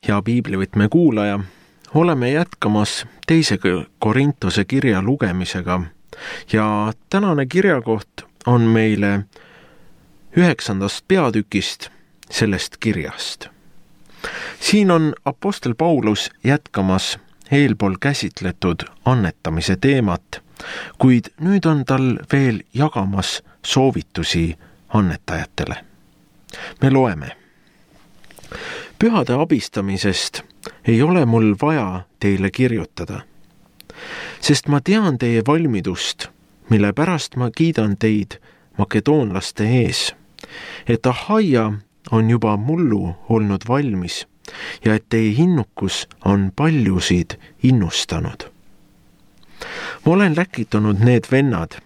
Hea piiblivõtme kuulaja, oleme jätkamas 2. Korintuse kirja lugemisega ja tänane kirjakoht on meile 9. peatükist sellest kirjast. Siin on apostel Paulus jätkamas eelpool käsitletud annetamise teemat, kuid nüüd on tal veel jagamas soovitusi annetajatele. Me loeme. Pühade abistamisest ei ole mul vaja teile kirjutada, sest ma tean teie valmidust, mille pärast ma kiidan teid makedoonlaste ees, et Ahaia on juba mullu olnud valmis ja et teie innukus on paljusid innustanud. Ma olen läkitanud need vennad,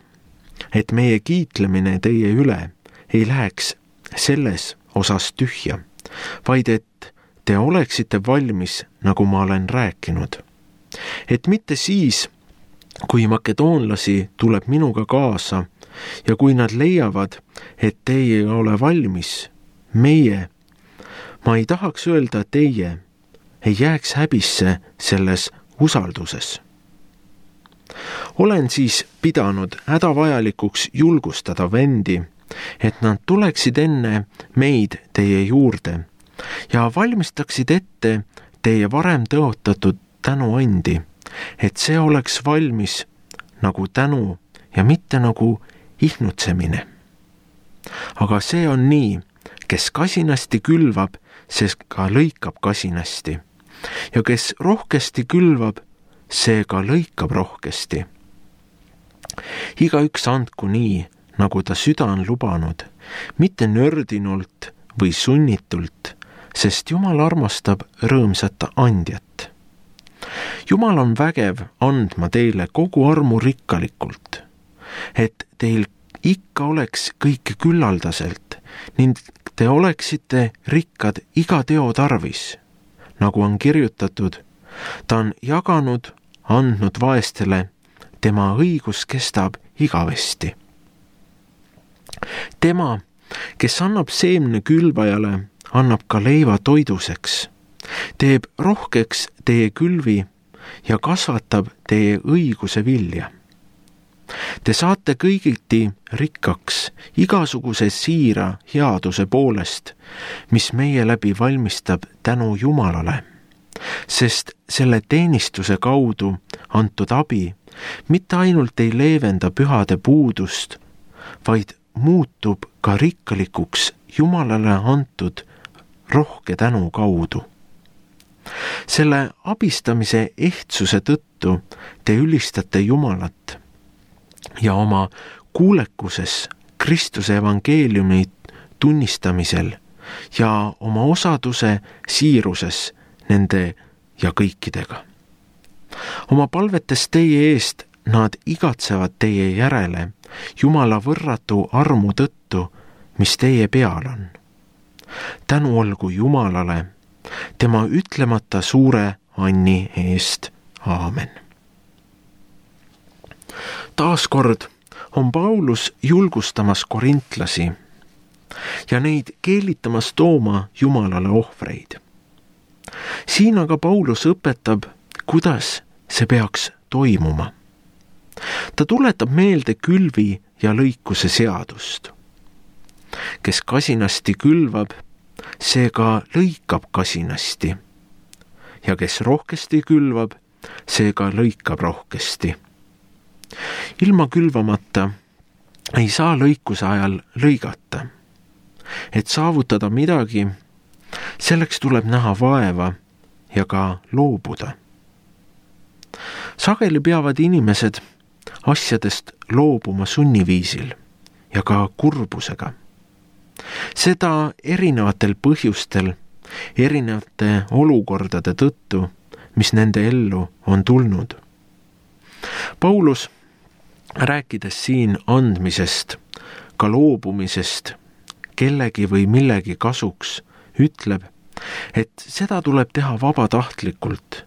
et meie kiitlemine teie üle ei läheks selles osas tühja, vaid et te oleksite valmis, nagu ma olen rääkinud. Et mitte siis, kui makedoonlasi tuleb minuga kaasa ja kui nad leiavad, et teie ei ole valmis, ma ei tahaks öelda teie, ei jääks häbisse selles usalduses. Olen siis pidanud hädavajalikuks julgustada vendi, et nad tuleksid enne meid teie juurde ja valmistaksid ette teie varem tõotatud tänuandi, et see oleks valmis nagu tänu ja mitte nagu ihnutsemine. Aga see on nii, kes kasinasti külvab, see ka lõikab kasinasti, ja kes rohkesti külvab, see ka lõikab rohkesti. Igaüks andku nii, nagu ta süda on lubanud, mitte nördinult või sunnitult, sest Jumal armastab rõõmsat andjat. Jumal on vägev andma teile kogu armu rikkalikult, et teil ikka oleks kõike küllaldaselt ning te oleksite rikkad iga teo tarvis, nagu on kirjutatud, ta on jaganud, andnud vaestele, tema õigus kestab igavesti. Tema, kes annab seemne külvajale, annab ka leiva toiduseks, teeb rohkeks teie külvi ja kasvatab teie õiguse vilja. Te saate kõigiti rikkaks igasuguse siira headuse poolest, mis meie läbi valmistab tänu Jumalale, sest selle teenistuse kaudu antud abi mitte ainult ei leevenda pühade puudust, vaid muutub ka rikkalikuks Jumalale antud rohke tänu kaudu. Selle abistamise ehtsuse tõttu te ülistate Jumalat ja oma kuulekuses Kristuse evangeeliumi tunnistamisel ja oma osaduse siiruses nende ja kõikidega. Oma palvetes teie eest nad igatsevad teie järele Jumala võrratu armu tõttu, mis teie peal on. Tänu olgu Jumalale, tema ütlemata suure anni eest. Aamen. Taaskord on Paulus julgustamas korintlasi ja neid keelitamas tooma Jumalale ohvreid. Siin aga Paulus õpetab, kuidas see peaks toimuma. Ta tuletab meelde külvi ja lõikuse seadust. Kes kasinasti külvab, see ka lõikab kasinasti, ja kes rohkesti külvab, see ka lõikab rohkesti. Ilma külvamata ei saa lõikuse ajal lõigata. Et saavutada midagi, selleks tuleb näha vaeva ja ka loobuda. Sageli peavad inimesed asjadest loobuma sunniviisil ja ka kurbusega. Seda erinevatel põhjustel, erinevate olukordade tõttu, mis nende ellu on tulnud. Paulus, rääkides siin andmisest, ka loobumisest, kellegi või millegi kasuks, ütleb, et seda tuleb teha vabatahtlikult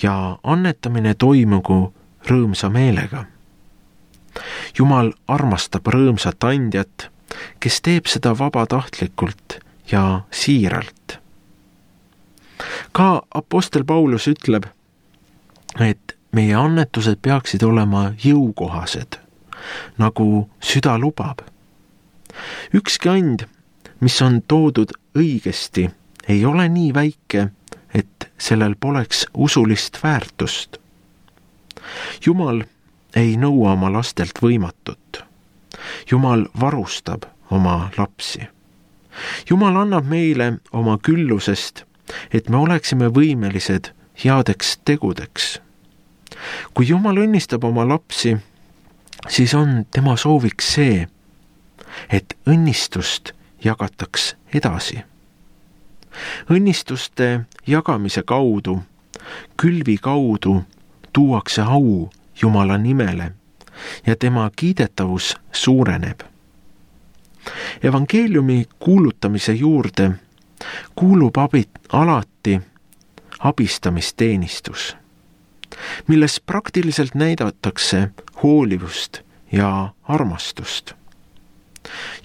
ja annetamine toimugu rõõmsa meelega. Jumal armastab rõõmsat andjat, kes teeb seda vabatahtlikult ja siiralt. Ka apostel Paulus ütleb, et meie annetused peaksid olema jõukohased, nagu süda lubab. Ükski and, mis on toodud õigesti, ei ole nii väike, et sellel poleks usulist väärtust. Jumal ei nõua oma lastelt võimatut. Jumal varustab oma lapsi. Jumal annab meile oma küllusest, et me oleksime võimelised headeks tegudeks. Kui Jumal õnnistab oma lapsi, siis on tema sooviks see, et õnnistust jagataks edasi. Õnnistuste jagamise kaudu, külvi kaudu tuuakse au Jumala nimele ja tema kiidetavus suureneb. Evangeeliumi kuulutamise juurde kuulub alati abistamisteenistus, milles praktiliselt näidatakse hoolivust ja armastust.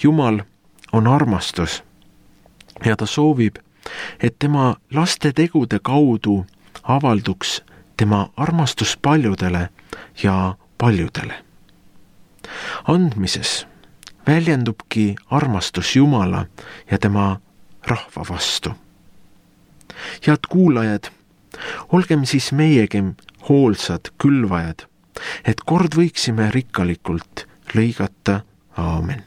Jumal on armastus ja ta soovib, et tema laste tegude kaudu avalduks tema armastus paljudele ja paljudele. Andmises väljendubki armastus Jumala ja tema rahva vastu. Head kuulajad, olgem siis meiegi hoolsad külvajad, et kord võiksime rikkalikult lõigata. Aamen.